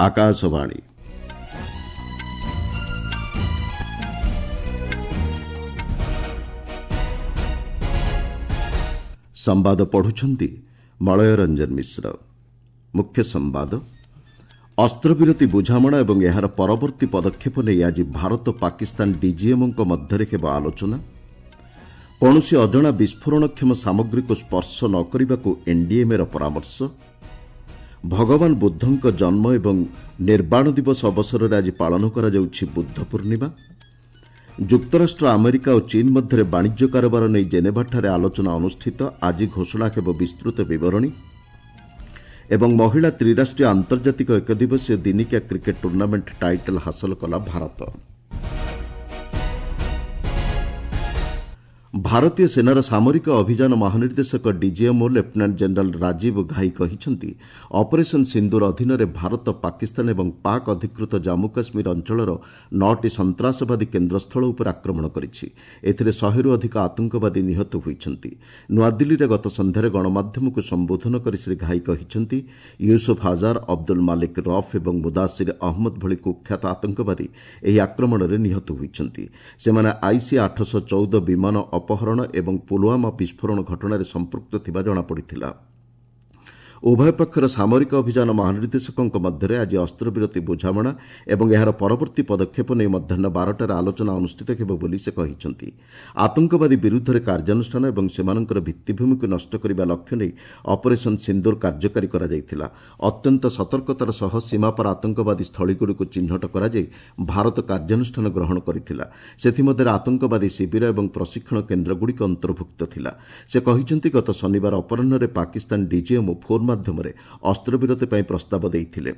ଆକାଶବାଣୀ। ସମ୍ବାଦ ପଢୁଛନ୍ତି ମଳୟ ରଞ୍ଜନ ମିଶ୍ର। ମୁଖ୍ୟ ସମ୍ବାଦ। ଅସ୍ତ୍ରବିରତି ବୁଝାମଣା ଏବଂ ଏହାର ପରବର୍ତ୍ତୀ ପଦକ୍ଷେପ ନେଇ ଆଜି ଭାରତ ପାକିସ୍ତାନ ଡିଜିଏମ୍ଓଙ୍କ ମଧ୍ୟରେ ହେବ ଆଲୋଚନା। କୌଣସି ଅଜଣା ବିସ୍ଫୋରଣକ୍ଷମ ସାମଗ୍ରୀକୁ ସ୍ପର୍ଶ ନ କରିବାକୁ ଏନ୍ଡିଏମ୍ଏର ପରାମର୍ଶ। ଭଗବାନ ବୁଦ୍ଧଙ୍କ ଜନ୍ମ ଏବଂ ନିର୍ବାଣ ଦିବସ ଅବସରରେ ଆଜି ପାଳନ କରାଯାଉଛି ବୁଦ୍ଧ ପୂର୍ଣ୍ଣିମା। ଯୁକ୍ତରାଷ୍ଟ୍ର ଆମେରିକା ଓ ଚୀନ୍ ମଧ୍ୟରେ ବାଣିଜ୍ୟ କାରବାର ନେଇ ଜେନେଭାଠାରେ ଆଲୋଚନା ଅନୁଷ୍ଠିତ। ଆଜି ଘୋଷଣା ହେବ ବିସ୍ତୃତ ବିବରଣୀ। ଏବଂ ମହିଳା ତ୍ରିରାଷ୍ଟ୍ରୀୟ ଆନ୍ତର୍ଜାତିକ ଏକଦିବସୀୟ ଦିନିକିଆ କ୍ରିକେଟ୍ ଟୁର୍ଣ୍ଣାମେଣ୍ଟ ଟାଇଟଲ୍ ହାସଲ କଲା ଭାରତ। ଭାରତୀୟ ସେନାର ସାମରିକ ଅଭିଯାନ ମହାନିର୍ଦ୍ଦେଶକ DGMO lieutenant general Rajiv Ghai କହିଛନ୍ତି, ଅପରେସନ୍ ସିନ୍ଦୁର ଅଧୀନରେ ଭାରତ ପାକିସ୍ତାନ ଏବଂ ପାକ୍ ଅଧିକୃତ ଜାମ୍ମୁ କାଶ୍ମୀର ଅଞ୍ଚଳର 9ଟି ସନ୍ତ୍ରାସବାଦୀ କେନ୍ଦ୍ରସ୍ଥଳ ଉପରେ ଆକ୍ରମଣ କରିଛି। ଏଥିରେ 100ରୁ ଅଧିକ ଆତଙ୍କବାଦୀ ନିହତ ହୋଇଛନ୍ତି। ନୂଆଦିଲ୍ଲୀରେ ଗତ ସନ୍ଧ୍ୟାରେ ଗଣମାଧ୍ୟମକୁ ସମ୍ବୋଧନ କରି ଶ୍ରୀ ଘାଇ କହିଛନ୍ତି, ୟୁସୁଫ୍ ଆଜାର୍, ଅବଦୁଲ ମାଲିକ ରଫ୍ ଏବଂ ମୁଦାସିର ଅହମ୍ମଦ ଭଳି କୁଖ୍ୟାତ ଆତଙ୍କବାଦୀ ଏହି ଆକ୍ରମଣରେ ନିହତ ହୋଇଛନ୍ତି। ସେମାନେ ଆଇସି 814 ବିମାନ ଅପହରଣ ଏବଂ ପୁଲୱାମା ବିସ୍ଫୋରଣ ଘଟଣାରେ ସମ୍ପୃକ୍ତ ଥିବା ଜଣାପଡ଼ିଥିଲା। ଉଭୟ ପକ୍ଷର ସାମରିକ ଅଭିଯାନ ମହାନିର୍ଦ୍ଦେଶକଙ୍କ ମଧ୍ୟରେ ଆଜି ଅସ୍ତ୍ରବିରତି ବୁଝାମଣା ଏବଂ ଏହାର ପରବର୍ତ୍ତୀ ପଦକ୍ଷେପ ନେଇ ମଧ୍ୟାହ୍ନ 12ଟାରେ ଆଲୋଚନା ଅନୁଷ୍ଠିତ ହେବ ବୋଲି ସେ କହିଛନ୍ତି। ଆତଙ୍କବାଦୀ ବିରୁଦ୍ଧରେ କାର୍ଯ୍ୟାନୁଷ୍ଠାନ ଏବଂ ସେମାନଙ୍କର ଭିତ୍ତିଭୂମିକୁ ନଷ୍ଟ କରିବା ଲକ୍ଷ୍ୟ ନେଇ ଅପରେସନ୍ ସିନ୍ଦୁର କାର୍ଯ୍ୟକାରୀ କରାଯାଇଥିଲା। ଅତ୍ୟନ୍ତ ସତର୍କତାର ସହ ସୀମାପାର ଆତଙ୍କବାଦୀ ସ୍ଥଳୀଗୁଡ଼ିକୁ ଚିହ୍ନଟ କରାଯାଇ ଭାରତ କାର୍ଯ୍ୟାନୁଷ୍ଠାନ ଗ୍ରହଣ କରିଥିଲା। ସେଥିମଧ୍ୟରେ ଆତଙ୍କବାଦୀ ଶିବିର ଏବଂ ପ୍ରଶିକ୍ଷଣ କେନ୍ଦ୍ରଗୁଡ଼ିକ ଅନ୍ତର୍ଭୁକ୍ତ ଥିଲା। ସେ କହିଛନ୍ତି, ଗତ ଶନିବାର ଅପରାହ୍ନରେ ପାକିସ୍ତାନ ଡିଜିଏମ୍ଓ ଫୋନ୍ ମାଧ୍ୟମରେ ଅସ୍ତ୍ରବିରତି ପାଇଁ ପ୍ରସ୍ତାବ ଦେଇଥିଲେ।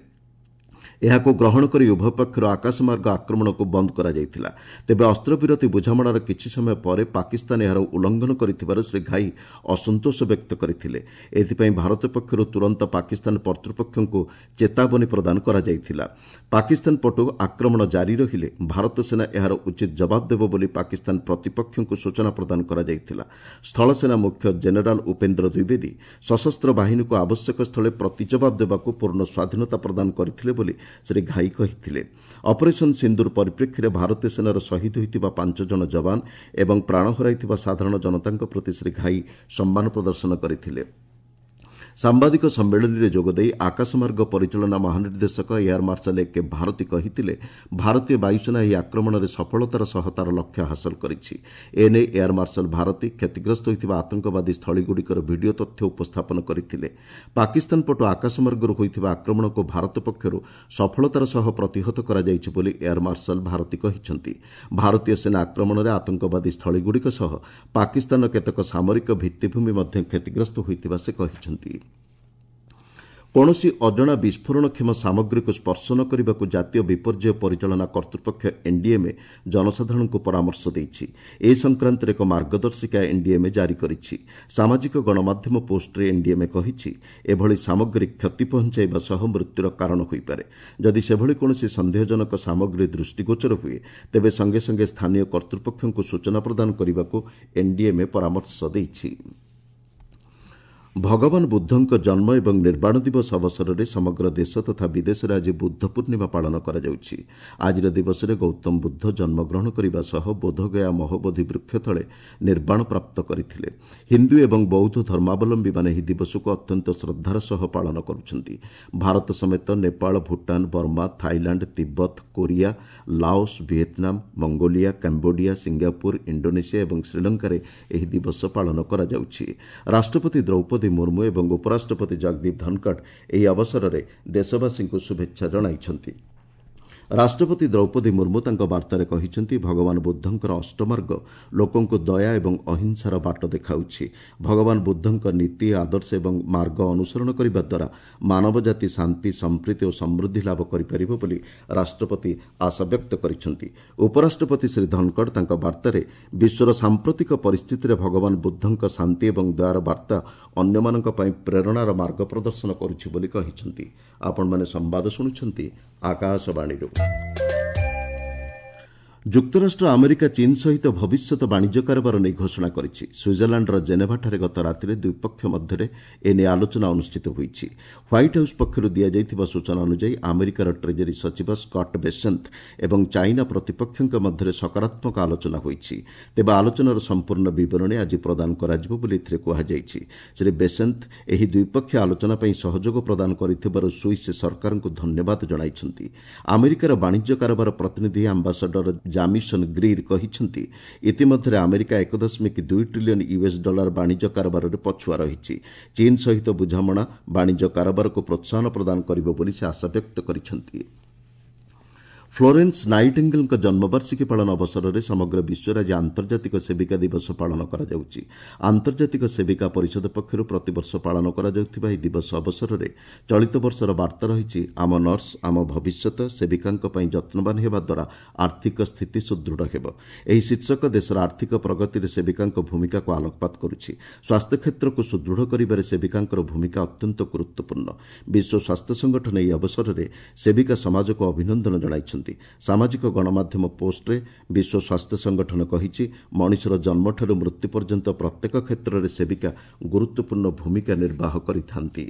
ଏହାକୁ ଗ୍ରହଣ କରି ଉଭୟ ପକ୍ଷରୁ ଆକାଶମାର୍ଗ ଆକ୍ରମଣକୁ ବନ୍ଦ କରାଯାଇଥିଲା। ତେବେ ଅସ୍ତ୍ରବିରତି ବୁଝାମଣାର କିଛି ସମୟ ପରେ ପାକିସ୍ତାନ ଏହାର ଉଲ୍ଲଂଘନ କରିଥିବାରୁ ଶ୍ରୀ ଘାଇ ଅସନ୍ତୋଷ ବ୍ୟକ୍ତ କରିଥିଲେ। ଏଥିପାଇଁ ଭାରତ ପକ୍ଷରୁ ତୁରନ୍ତ ପାକିସ୍ତାନ କର୍ତ୍ତୃପକ୍ଷଙ୍କୁ ଚେତାବନୀ ପ୍ରଦାନ କରାଯାଇଥିଲା। ପାକିସ୍ତାନ ପଟୁ ଆକ୍ରମଣ ଜାରି ରହିଲେ ଭାରତ ସେନା ଏହାର ଉଚିତ ଜବାବ ଦେବ ବୋଲି ପାକିସ୍ତାନ ପ୍ରତିପକ୍ଷଙ୍କୁ ସୂଚନା ପ୍ରଦାନ କରାଯାଇଥିଲା। ସ୍ଥଳସେନା ମୁଖ୍ୟ ଜେନେରାଲ ଉପେନ୍ଦ୍ର ଦ୍ୱିବେଦୀ ସଶସ୍ତ୍ର ବାହିନୀକୁ ଆବଶ୍ୟକ ସ୍ଥଳେ ପ୍ରତିଜବାବ ଦେବାକୁ ପୂର୍ଣ୍ଣ ସ୍ୱାଧୀନତା ପ୍ରଦାନ କରିଥିଲେ ବୋଲି ଶ୍ରୀ ଘାଇ କହିଥିଲେ। ଅପରେସନ୍ ସିନ୍ଦୁର ପରିପ୍ରେକ୍ଷୀରେ ଭାରତୀୟ ସେନାର ଶହୀଦ ହୋଇଥିବା 5 ଜଣ ଯବାନ ଏବଂ ପ୍ରାଣ ହରାଇଥିବା ସାଧାରଣ ଜନତାଙ୍କ ପ୍ରତି ଶ୍ରୀ ଘାଇ ସମ୍ମାନ ପ୍ରଦର୍ଶନ କରିଥିଲେ। ସାମ୍ବାଦିକ ସମ୍ମିଳନୀରେ ଯୋଗଦେଇ ଆକାଶମାର୍ଗ ପରିଚାଳନା ମହାନିର୍ଦ୍ଦେଶକ ଏୟାର ମାର୍ଶାଲ ଏକେ ଭାରତୀ କହିଥିଲେ, ଭାରତୀୟ ବାୟୁସେନା ଏହି ଆକ୍ରମଣରେ ସଫଳତାର ସହ ତା'ର ଲକ୍ଷ୍ୟ ହାସଲ କରିଛି। ଏନେଇ ଏୟାର ମାର୍ଶାଲ ଭାରତୀ କ୍ଷତିଗ୍ରସ୍ତ ହୋଇଥିବା ଆତଙ୍କବାଦୀ ସ୍ଥଳୀଗୁଡ଼ିକର ଭିଡ଼ିଓ ତଥ୍ୟ ଉପସ୍ଥାପନ କରିଥିଲେ। ପାକିସ୍ତାନ ପଟୁ ଆକାଶମାର୍ଗରୁ ହୋଇଥିବା ଆକ୍ରମଣକୁ ଭାରତ ପକ୍ଷରୁ ସଫଳତାର ସହ ପ୍ରତିହତ କରାଯାଇଛି ବୋଲି ଏୟାର ମାର୍ଶାଲ ଭାରତୀ କହିଛନ୍ତି। ଭାରତୀୟ ସେନା ଆକ୍ରମଣରେ ଆତଙ୍କବାଦୀ ସ୍ଥଳୀଗୁଡ଼ିକ ସହ ପାକିସ୍ତାନର କେତେକ ସାମରିକ ଭିତ୍ତିଭୂମି ମଧ୍ୟ କ୍ଷତିଗ୍ରସ୍ତ ହୋଇଥିବା ସେ କହିଛନ୍ତି। କୌଣସି ଅଜଣା ବିସ୍ଫୋରଣକ୍ଷମ ସାମଗ୍ରୀକୁ ସ୍ପର୍ଶ ନ କରିବାକୁ ଜାତୀୟ ବିପର୍ଯ୍ୟୟ ପରିଚାଳନା କର୍ତ୍ତୃପକ୍ଷ ଏନ୍ଡିଏମ୍ଏ ଜନସାଧାରଣଙ୍କୁ ପରାମର୍ଶ ଦେଇଛି। ଏ ସଂକ୍ରାନ୍ତରେ ଏକ ମାର୍ଗଦର୍ଶିକା ଏନ୍ଡିଏମ୍ଏ ଜାରି କରିଛି। ସାମାଜିକ ଗଣମାଧ୍ୟମ ପୋଷ୍ଟରେ ଏନ୍ଡିଏମ୍ଏ କହିଛି, ଏଭଳି ସାମଗ୍ରୀ କ୍ଷତି ପହଞ୍ଚାଇବା ସହ ମୃତ୍ୟୁର କାରଣ ହୋଇପାରେ। ଯଦି ସେଭଳି କୌଣସି ସନ୍ଦେହଜନକ ସାମଗ୍ରୀ ଦୃଷ୍ଟିଗୋଚର ହୁଏ, ତେବେ ସଙ୍ଗେ ସଙ୍ଗେ ସ୍ଥାନୀୟ କର୍ତ୍ତୃପକ୍ଷଙ୍କୁ ସୂଚନା ପ୍ରଦାନ କରିବାକୁ ଏନ୍ଡିଏମ୍ଏ ପରାମର୍ଶ ଦେଇଛି। ଭଗବାନ ବୁଦ୍ଧଙ୍କ ଜନ୍ମ ଏବଂ ନିର୍ବାଣ ଦିବସ ଅବସରରେ ସମଗ୍ର ଦେଶ ତଥା ବିଦେଶରେ ଆଜି ବୁଦ୍ଧ ପୂର୍ଣ୍ଣିମା ପାଳନ କରାଯାଉଛି। ଆଜିର ଦିବସରେ ଗୌତମ ବୁଦ୍ଧ ଜନ୍ମଗ୍ରହଣ କରିବା ସହ ବୋଧଗୟା ମହୋବୋଧି ବୃକ୍ଷ ତଳେ ନିର୍ବାଣ ପ୍ରାପ୍ତ କରିଥିଲେ। ହିନ୍ଦୁ ଏବଂ ବୌଦ୍ଧ ଧର୍ମାବଲମ୍ବୀମାନେ ଏହି ଦିବସକୁ ଅତ୍ୟନ୍ତ ଶ୍ରଦ୍ଧାର ସହ ପାଳନ କରୁଛନ୍ତି। ଭାରତ ସମେତ Nepal, Bhutan, Burma, Thailand, Tibet, Korea, Laos, Vietnam, Mongolia, Cambodia, Singapore, Indonesia ଏବଂ ଶ୍ରୀଲଙ୍କାରେ ଏହି ଦିବସ ପାଳନ କରାଯାଉଛି। ରାଷ୍ଟ୍ରପତି ଦ୍ରୌପଦୀ ମୁର୍ମୁ ଏବଂ ଉପରାଷ୍ଟ୍ରପତି ଜଗଦୀପ ଧନଖଡ଼ ଏହି ଅବସରରେ ଦେଶବାସୀଙ୍କୁ ଶୁଭେଚ୍ଛା ଜଣାଇଛନ୍ତି। ରାଷ୍ଟ୍ରପତି ଦ୍ରୌପଦୀ ମୁର୍ମୁ ତାଙ୍କ ବାର୍ତ୍ତାରେ କହିଛନ୍ତି, ଭଗବାନ ବୁଦ୍ଧଙ୍କର ଅଷ୍ଟମାର୍ଗ ଲୋକଙ୍କୁ ଦୟା ଏବଂ ଅହିଂସାର ବାଟ ଦେଖାଉଛି। ଭଗବାନ ବୁଦ୍ଧଙ୍କ ନୀତି, ଆଦର୍ଶ ଏବଂ ମାର୍ଗ ଅନୁସରଣ କରିବା ଦ୍ୱାରା ମାନବ ଜାତି ଶାନ୍ତି, ସମ୍ପ୍ରୀତି ଓ ସମୃଦ୍ଧି ଲାଭ କରିପାରିବ ବୋଲି ରାଷ୍ଟ୍ରପତି ଆଶାବ୍ୟକ୍ତ କରିଛନ୍ତି। ଉପରାଷ୍ଟ୍ରପତି ଶ୍ରୀ ଧନଖଡ଼ ତାଙ୍କ ବାର୍ତ୍ତାରେ ବିଶ୍ୱର ସାମ୍ପ୍ରତିକ ପରିସ୍ଥିତିରେ ଭଗବାନ ବୁଦ୍ଧଙ୍କ ଶାନ୍ତି ଏବଂ ଦୟାର ବାର୍ତ୍ତା ଅନ୍ୟମାନଙ୍କ ପାଇଁ ପ୍ରେରଣାର ମାର୍ଗ ପ୍ରଦର୍ଶନ କରୁଛି ବୋଲି କହିଛନ୍ତି। ଆପଣମାନେ ସମ୍ବାଦ ଶୁଣୁଛନ୍ତି ଆକାଶବାଣୀରୁ। ଯୁକ୍ତରାଷ୍ଟ୍ର ଆମେରିକା ଚୀନ୍ ସହିତ ଭବିଷ୍ୟତ ବାଣିଜ୍ୟ କାରବାର ନେଇ ଘୋଷଣା କରିଛି। ସୁଇଜରଲ୍ୟାଣ୍ଡର ଜେନେଭାଠାରେ ଗତ ରାତିରେ ଦ୍ୱିପକ୍ଷ ମଧ୍ୟରେ ଏନେଇ ଆଲୋଚନା ଅନୁଷ୍ଠିତ ହୋଇଛି। ହ୍ୱାଇଟ୍ ହାଉସ୍ ପକ୍ଷରୁ ଦିଆଯାଇଥିବା ସୂଚନା ଅନୁଯାୟୀ ଆମେରିକାର ଟ୍ରେଜେରୀ ସଚିବ ସ୍କଟ୍ ବେସେନ୍ତ ଏବଂ ଚାଇନା ପ୍ରତିପକ୍ଷଙ୍କ ମଧ୍ୟରେ ସକାରାତ୍ମକ ଆଲୋଚନା ହୋଇଛି। ତେବେ ଆଲୋଚନାର ସମ୍ପୂର୍ଣ୍ଣ ବିବରଣୀ ଆଜି ପ୍ରଦାନ କରାଯିବ ବୋଲି ଏଥିରେ କୁହାଯାଇଛି। ଶ୍ରୀ ବେସେନ୍ତ ଏହି ଦ୍ୱିପକ୍ଷୀୟ ଆଲୋଚନା ପାଇଁ ସହଯୋଗ ପ୍ରଦାନ କରିଥିବାରୁ ସୁଇସ୍ ସରକାରଙ୍କୁ ଧନ୍ୟବାଦ ଜଣାଇଛନ୍ତି। ଆମେରିକାର ବାଣିଜ୍ୟ କାରବାର ପ୍ରତିନିଧି ଆମ୍ବାସାଡର ଜାମିସନ୍ ଗ୍ରୀର୍ କହିଛନ୍ତି, ଇତିମଧ୍ୟରେ ଆମେରିକା 1.2 ଟ୍ରିଲିୟନ୍ ୟୁଏସ୍ ଡଲାର ବାଣିଜ୍ୟ କାରବାରରେ ପଛୁଆ ରହିଛି। ଚୀନ୍ ସହିତ ବୁଝାମଣା ବାଣିଜ୍ୟ କାରବାରକୁ ପ୍ରୋତ୍ସାହନ ପ୍ରଦାନ କରିବ ବୋଲି ସେ ଆଶାବ୍ୟକ୍ତ କରିଛନ୍ତି। ଫ୍ଲୋରେନ୍ସ ନାଇଟିଙ୍ଗେଲ୍ଙ୍କ ଜନ୍ମବାର୍ଷିକୀ ପାଳନ ଅବସରରେ ସମଗ୍ର ବିଶ୍ୱରେ ଆଜି ଆନ୍ତର୍ଜାତିକ ସେବିକା ଦିବସ ପାଳନ କରାଯାଉଛି। ଆନ୍ତର୍ଜାତିକ ସେବିକା ପରିଷଦ ପକ୍ଷରୁ ପ୍ରତିବର୍ଷ ପାଳନ କରାଯାଉଥିବା ଏହି ଦିବସ ଅବସରରେ ଚଳିତ ବର୍ଷର ବାର୍ତ୍ତା ରହିଛି, ଆମ ନର୍ସ ଆମ ଭବିଷ୍ୟତ, ସେବିକାଙ୍କ ପାଇଁ ଯତ୍ନବାନ ହେବା ଦ୍ୱାରା ଆର୍ଥିକ ସ୍ଥିତି ସୁଦୃଢ଼ ହେବ। ଏହି ଶୀର୍ଷକ ଦେଶର ଆର୍ଥିକ ପ୍ରଗତିରେ ସେବିକାଙ୍କ ଭୂମିକାକୁ ଆଲୋକପାତ କରୁଛି। ସ୍ୱାସ୍ଥ୍ୟକ୍ଷେତ୍ରକୁ ସୁଦୃଢ଼ କରିବାରେ ସେବିକାଙ୍କର ଭୂମିକା ଅତ୍ୟନ୍ତ ଗୁରୁତ୍ୱପୂର୍ଣ୍ଣ। ବିଶ୍ୱ ସ୍ୱାସ୍ଥ୍ୟ ସଂଗଠନ ଏହି ଅବସରରେ ସେବିକା ସମାଜକୁ ଅଭିନନ୍ଦନ ଜଣାଇଛନ୍ତି। ସାମାଜିକ ଗଣମାଧ୍ୟମ ପୋଷ୍ଟରେ ବିଶ୍ୱ ସ୍ୱାସ୍ଥ୍ୟ ସଂଗଠନ କହିଛି, ମଣିଷର ଜନ୍ମଠାରୁ ମୃତ୍ୟୁ ପର୍ଯ୍ୟନ୍ତ ପ୍ରତ୍ୟେକ କ୍ଷେତ୍ରରେ ସେବିକା ଗୁରୁତ୍ୱପୂର୍ଣ୍ଣ ଭୂମିକା ନିର୍ବାହ କରିଥାନ୍ତି।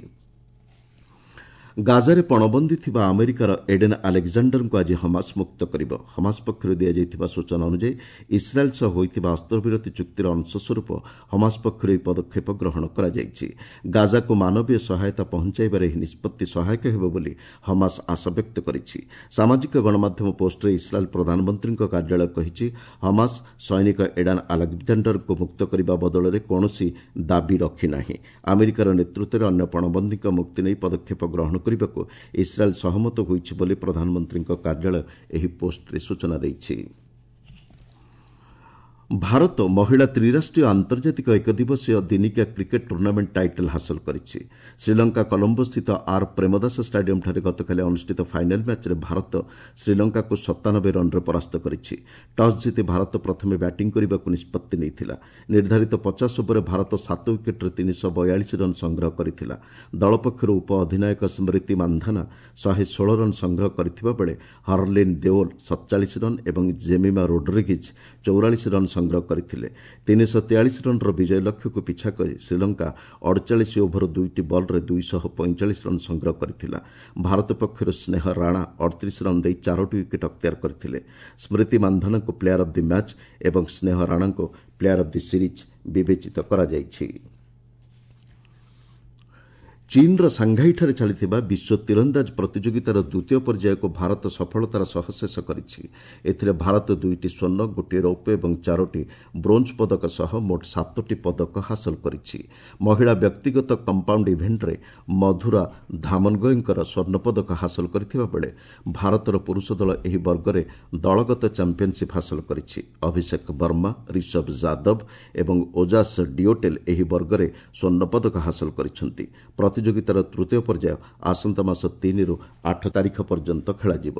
ଗାଜାରେ ପଣବନ୍ଦୀ ଥିବା ଆମେରିକାର ଏଡେନ୍ ଆଲେକ୍ଜାଣ୍ଡାରଙ୍କୁ ଆଜି ହମାସ ମୁକ୍ତ କରିବ। ହମାସ ପକ୍ଷରୁ ଦିଆଯାଇଥିବା ସୂଚନା ଅନୁଯାୟୀ ଇସ୍ରାଏଲ୍ ସହ ହୋଇଥିବା ଅସ୍ତ୍ରବିରତି ଚୁକ୍ତିର ଅଂଶସ୍ୱରୂପ ହମାସ ପକ୍ଷରୁ ଏହି ପଦକ୍ଷେପ ଗ୍ରହଣ କରାଯାଇଛି। ଗାଜାକୁ ମାନବୀୟ ସହାୟତା ପହଞ୍ଚାଇବାରେ ଏହି ନିଷ୍ପତ୍ତି ସହାୟକ ହେବ ବୋଲି ହମାସ ଆଶାବ୍ୟକ୍ତ କରିଛି। ସାମାଜିକ ଗଣମାଧ୍ୟମ ପୋଷ୍ଟରେ ଇସ୍ରାଏଲ୍ ପ୍ରଧାନମନ୍ତ୍ରୀଙ୍କ କାର୍ଯ୍ୟାଳୟ କହିଛି, ହମାସ ସୈନିକ ଏଡାନ୍ ଆଲେକ୍ଜାଣ୍ଡାରଙ୍କୁ ମୁକ୍ତ କରିବା ବଦଳରେ କୌଣସି ଦାବି ରଖିନାହିଁ। ଆମେରିକାର ନେତୃତ୍ୱରେ ଅନ୍ୟ ପଣବନ୍ଦୀଙ୍କ ମୁକ୍ତି ନେଇ ପଦକ୍ଷେପ ଗ୍ରହଣ କରିବାକୁ ଇସ୍ରାଏଲ୍ ସହମତ ହୋଇଛି ବୋଲି ପ୍ରଧାନମନ୍ତ୍ରୀଙ୍କ କାର୍ଯ୍ୟାଳୟ ଏହି ପୋଷ୍ଟରେ ସୂଚନା ଦେଇଛି। ଭାରତ ମହିଳା ତ୍ରିରାଷ୍ଟ୍ରୀୟ ଆନ୍ତର୍ଜାତିକ ଏକଦିବସୀୟ ଦିନିକିଆ କ୍ରିକେଟ୍ ଟୁର୍ଣ୍ଣାମେଣ୍ଟ ଟାଇଟଲ୍ ହାସଲ କରିଛି। ଶ୍ରୀଲଙ୍କା କଲମ୍ବୋସ୍ଥିତ ଆର୍ ପ୍ରେମଦାସ ଷ୍ଟାଡିୟମ୍ଠାରେ ଗତକାଲି ଅନୁଷ୍ଠିତ ଫାଇନାଲ୍ ମ୍ୟାଚ୍ରେ ଭାରତ ଶ୍ରୀଲଙ୍କାକୁ 97 ରନ୍ରେ ପରାସ୍ତ କରିଛି। ଟସ୍ ଜିତି ଭାରତ ପ୍ରଥମେ ବ୍ୟାଟିଂ କରିବାକୁ ନିଷ୍ପତ୍ତି ନେଇଥିଲା। ନିର୍ଦ୍ଧାରିତ 50 ଓଭରରେ ଭାରତ 7 ୱିକେଟ୍ରେ 342 ରନ୍ ସଂଗ୍ରହ କରିଥିଲା। ଦଳ ପକ୍ଷରୁ ଉପ ଅଧିନାୟକ ସ୍ମୃତି ମାନ୍ଧାନା 116 ରନ୍ ସଂଗ୍ରହ କରିଥିବା ବେଳେ ହରଲିନ୍ ଦେଓଲ 47 ରନ୍ ଏବଂ ଜେମିମା ରୋଡ୍ରିଗିଜ୍ 44 ରନ୍ ସଂଗ୍ରହ କରିଥିଲେ। 343 ରନ୍ର ବିଜୟ ଲକ୍ଷ୍ୟକୁ ପିଛା କରି ଶ୍ରୀଲଙ୍କା 48 ଓଭର 2ଟି ବଲ୍ରେ 245 ରନ୍ ସଂଗ୍ରହ କରିଥିଲା। ଭାରତ ପକ୍ଷରୁ ସ୍ନେହ ରାଣା 38 ରନ୍ ଦେଇ 4ଟି ୱିକେଟ୍ ଅକ୍ତିଆର କରିଥିଲେ। ସ୍ମୃତି ମାନ୍ଧାନାଙ୍କୁ ପ୍ଲେୟାର ଅଫ୍ the match ଏବଂ ସ୍ନେହ ରାଣାଙ୍କୁ ପ୍ଲେୟାର ଅଫ୍ the series ବିବେଚିତ କରାଯାଇଛି। ଚୀନ୍ର ସାଂଘାଇଠାରେ ଚାଲିଥିବା ବିଶ୍ୱ ତୀରନ୍ଦାଜ ପ୍ରତିଯୋଗିତାର ଦ୍ୱିତୀୟ ପର୍ଯ୍ୟାୟକୁ ଭାରତ ସଫଳତାର ସହ ଶେଷ କରିଛି। ଏଥିରେ ଭାରତ 2ଟି ସ୍ୱର୍ଣ୍ଣ, 1 ରୌପ୍ୟ ଏବଂ 4ଟି ବ୍ରୋଞ୍ଜ ପଦକ ସହ ମୋଟ 7ଟି ପଦକ ହାସଲ କରିଛି। ମହିଳା ବ୍ୟକ୍ତିଗତ କମ୍ପାଉଣ୍ଡ ଇଭେଣ୍ଟରେ ମଧୁରା ଧାମନଗୟଙ୍କର ସ୍ୱର୍ଣ୍ଣ ପଦକ ହାସଲ କରିଥିବା ବେଳେ ଭାରତର ପୁରୁଷ ଦଳ ଏହି ବର୍ଗରେ ଦଳଗତ ଚାମ୍ପିୟନସିପ୍ ହାସଲ କରିଛି। ଅଭିଷେକ ବର୍ମା, ରିଷଭ ଯାଦବ ଏବଂ ଓଜାସ୍ ଡିଓଟେଲ୍ ଏହି ବର୍ଗରେ ସ୍ୱର୍ଣ୍ଣ ପଦକ ହାସଲ କରିଛନ୍ତି। ପ୍ରତିଯୋଗିତାର ତୃତୀୟ ପର୍ଯ୍ୟାୟ ଆସନ୍ତା ମାସ 3ରୁ 8 ତାରିଖ ପର୍ଯ୍ୟନ୍ତ ଖେଳାଯିବ।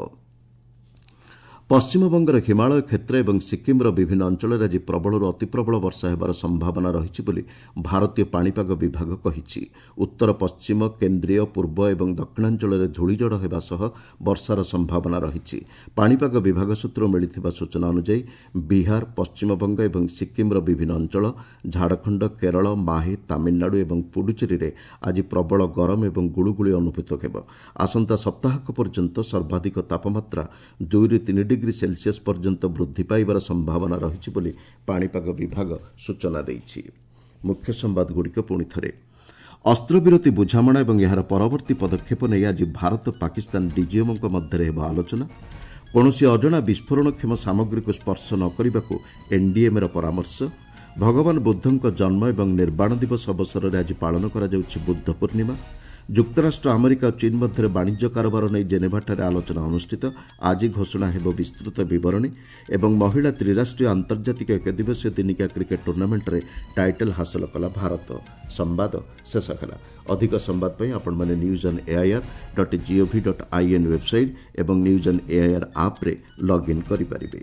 ପଶ୍ଚିମବଙ୍ଗର ହିମାଳୟ କ୍ଷେତ୍ର ଏବଂ ସିକ୍କିମ୍ର ବିଭିନ୍ନ ଅଞ୍ଚଳରେ ଆଜି ପ୍ରବଳରୁ ଅତିପ୍ରବଳ ବର୍ଷା ହେବାର ସମ୍ଭାବନା ରହିଛି ବୋଲି ଭାରତୀୟ ପାଣିପାଗ ବିଭାଗ କହିଛି। ଉତ୍ତର ପଶ୍ଚିମ, କେନ୍ଦ୍ରୀୟ, ପୂର୍ବ ଏବଂ ଦକ୍ଷିଣାଞ୍ଚଳରେ ଧୂଳିଝଡ଼ ହେବା ସହ ବର୍ଷାର ସମ୍ଭାବନା ରହିଛି। ପାଣିପାଗ ବିଭାଗ ସୂତ୍ରରୁ ମିଳିଥିବା ସୂଚନା ଅନୁଯାୟୀ ବିହାର, ପଶ୍ଚିମବଙ୍ଗ ଏବଂ ସିକ୍କିମ୍ର ବିଭିନ୍ନ ଅଞ୍ଚଳ, ଝାଡ଼ଖଣ୍ଡ, କେରଳ, ମାହେ, ତାମିଲନାଡୁ ଏବଂ ପୁଡୁଚେରୀରେ ଆଜି ପ୍ରବଳ ଗରମ ଏବଂ ଗୁଳୁଗୁଳି ଅନୁଭୂତ ହେବ। ଆସନ୍ତା ସପ୍ତାହକ ପର୍ଯ୍ୟନ୍ତ ସର୍ବାଧିକ ତାପମାତ୍ରା 2ରୁ 3 ଡିଗ୍ରୀ ସେଲସିୟସ୍ ପର୍ଯ୍ୟନ୍ତ ବୃଦ୍ଧି ପାଇବାର ସମ୍ଭାବନା ରହିଛି ବୋଲି ପାଣିପାଗ ବିଭାଗ ସୂଚନା ଦେଇଛି। ମୁଖ୍ୟ ସମ୍ବାଦଗୁଡ଼ିକ ପୁଣି ଥରେ। ଅସ୍ତ୍ରବିରତି ବୁଝାମଣା ଏବଂ ଏହାର ପରବର୍ତ୍ତୀ ପଦକ୍ଷେପ ନେଇ ଆଜି ଭାରତ ପାକିସ୍ତାନ ଡିଜିଏମ୍ଓଙ୍କ ମଧ୍ୟରେ ହେବ ଆଲୋଚନା। କୌଣସି ଅଜଣା ବିସ୍ଫୋରଣକ୍ଷମ ସାମଗ୍ରୀକୁ ସ୍ପର୍ଶ ନ କରିବାକୁ ଏନ୍ଡିଏମ୍ଏର ପରାମର୍ଶ। ଭଗବାନ ବୁଦ୍ଧଙ୍କ ଜନ୍ମ ଏବଂ ନିର୍ବାଣ ଦିବସ ଅବସରରେ ଆଜି ପାଳନ କରାଯାଉଛି ବୁଦ୍ଧ ପୂର୍ଣ୍ଣିମା। ଯୁକ୍ତରାଷ୍ଟ୍ର ଆମେରିକା ଓ ଚୀନ୍ ମଧ୍ୟରେ ବାଣିଜ୍ୟ କାରବାର ନେଇ ଜେନେଭାଠାରେ ଆଲୋଚନା ଅନୁଷ୍ଠିତ। ଆଜି ଘୋଷଣା ହେବ ବିସ୍ତୃତ ବିବରଣୀ। ଏବଂ ମହିଳା ତ୍ରିରାଷ୍ଟ୍ରୀୟ ଆନ୍ତର୍ଜାତିକ ଏକଦିବସୀୟ ଦିନିକିଆ କ୍ରିକେଟ୍ ଟୁର୍ଣ୍ଣାମେଣ୍ଟରେ ଟାଇଟଲ୍ ହାସଲ କଲା ଭାରତ। ସମ୍ବାଦ ଶେଷ ହେଲା। ଅଧିକ ସମ୍ବାଦ ପାଇଁ ଆପଣମାନେ news on AIR dot GOV dot IN website ଏବଂ ନ୍ୟୁଜ୍ ଅନ୍ ଏଆଇଆର୍ ଆପ୍ରେ ଲଗ୍ଇନ୍ କରିପାରିବେ।